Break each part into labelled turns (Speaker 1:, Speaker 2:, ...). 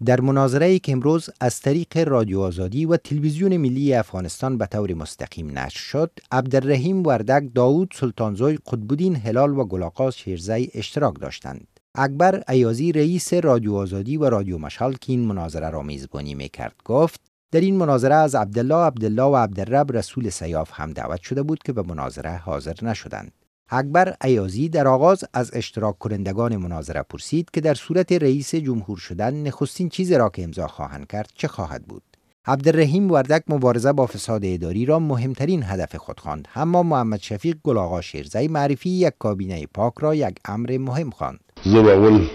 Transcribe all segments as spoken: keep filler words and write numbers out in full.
Speaker 1: در مناظره‌ای که امروز از طریق رادیو آزادی و تلویزیون ملی افغانستان به طور مستقیم نشر شد، عبدالرحیم وردک، داوود سلطانزوی، قطب‌الدین هلال و گل آقا شیرزی اشتراک داشتند. اکبر ایازی رئیس رادیو آزادی و رادیو مشال که این مناظره را میزبانی میکرد گفت در این مناظره از عبدالله عبدالله و عبدالرب رسول سیاف هم دعوت شده بود که به مناظره حاضر نشدند. اکبر ایازی در آغاز از اشتراک کنندگان مناظره پرسید که در صورت رئیس جمهور شدن نخستین چیزی را که امضا خواهند کرد چه خواهد بود. عبدالرحیم وردک مبارزه با فساد اداری را مهمترین هدف خود خواند، اما محمد شفیق گل آقا شیرزی معرفی یک کابینه پاک را یک امر مهم خواند.
Speaker 2: زه به اول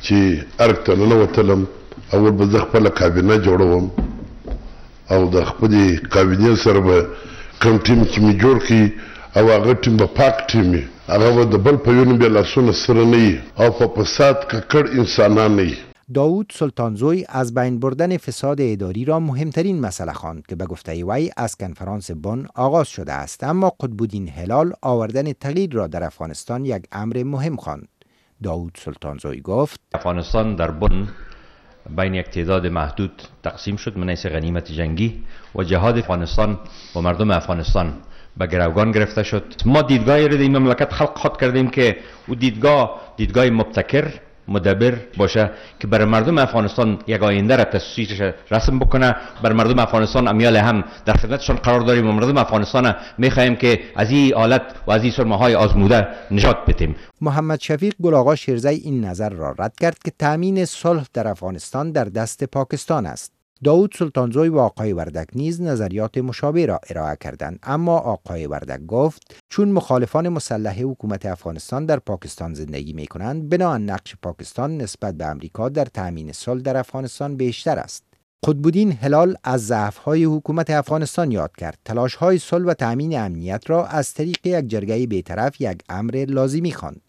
Speaker 2: چې ارګ ته ننوتلم، اول به زه خپله کابینه جوړوم او د خپلې کابینې سره به کوم ټیم چې مې جوړ کړي او هغه ټیم به پاک ټیم وي، هغه به د بل په وینو بیا لاسونه سره نه وي او په فساد ککړ انسانان نه وي.
Speaker 1: داوود سلطانزوی از بین بردن فساد اداری را مهمترین مسئله خواند که به گفته وی از کنفرانس بن آغاز شده است، اما قطب‌الدین هلال آوردن تغییر را در افغانستان یک امر مهم خواند. داوود سلطانزوی گفت
Speaker 3: افغانستان در بن بین یک تعداد محدود تقسیم شد من حیث غنیمت جنگی و جهاد افغانستان و مردم افغانستان به گروگان گرفته شد. ما دیدگاهی را در این مملکت خلق خود کردیم که او دیدگاه دیدگاه مبتکر مدبر باشه که برای مردم افغانستان یک آینده را تصویرش رسم بکنه. بر مردم افغانستان امیال هم در خدمتشان قرار داریم و مردم افغانستان میخواهیم که از این حالت و از این سرمه های آزموده نجات بدیم.
Speaker 1: محمد شفیق گل آقا شیرزی این نظر را رد کرد که تامین صلح در افغانستان در دست پاکستان است. داوود سلطانزوی و آقای وردک نیز نظریات مشابه را ارائه کردند، اما آقای وردک گفت چون مخالفان مسلح حکومت افغانستان در پاکستان زندگی می کنند، بناءً نقش پاکستان نسبت به امریکا در تامین صلح در افغانستان بیشتر است. قطب‌الدین هلال از ضعف‌های حکومت افغانستان یاد کرد، تلاش‌های صلح و تامین امنیت را از طریق یک جرگه بی‌طرف یک امر لازمی خواند.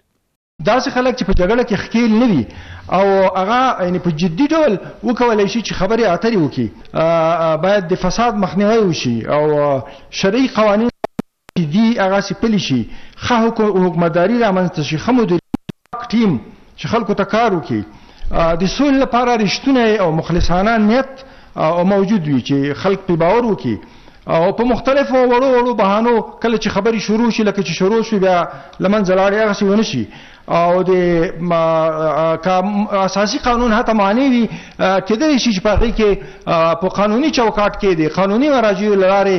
Speaker 4: داسې خلک چې په جګړه کې ښکیل نه وي او هغه یعنې په جدي ډول وکولای شي چې خبرې اترې وکړي، باید د فساد مخنیوی وشي او شرعي قوانین چې دي هغسې پلي شي، ښه حکومتداري رامنځته شي، ښه مدیریت ټیم چې خلکو ته کار وکړي، د سولې لپاره رښتونی او مخلصانه نیت او موجود وي چې خلک پرې باور وکړي او په مختلفو وړو وړو بهانو کله چې خبرې شروع شي لکه چې شروع شوې بیا له منځه لاړې هغسې ونه شي او د اساسي قانون حتی معنی وي کېدلی شي چې په هغې کې په قانوني چوکاټ کې د قانوني مراجعو له لارې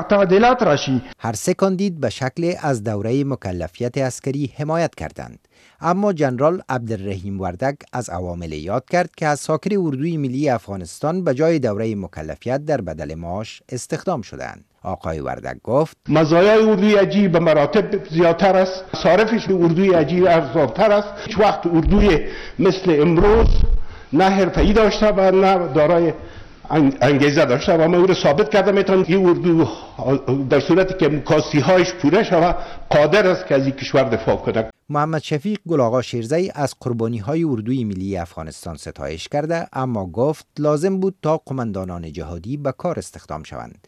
Speaker 4: تعدیلات راشي.
Speaker 1: هر سه کاندید به شکل از دوره مکلفیت عسکری حمایت کردند، اما جنرال عبدالرحیم وردک از عوامل یاد کرد که از ساکر اردوی ملی افغانستان به جای دوره مکلفیت در بدل معاش استخدام شدند. آقای وردک گفت
Speaker 5: مزایای اردوی عجیب به مراتب زیادتر است، صارفش اردوی عجیب ارزانتر است. هیچ وقت اردوی مثل امروز نه حرفه‌ای داشته و نه دارای انگیزه داشته و ما او را ثابت کرده میتونم این اردو در صورتی که کاستی هایش پوره شود قادر است که از این کشور دفاع کند.
Speaker 1: محمد شفیق گل آقا شیرزی از قربانی های اردوی ملی افغانستان ستایش کرده، اما گفت لازم بود تا قماندانان جهادی به کار استخدام شوند.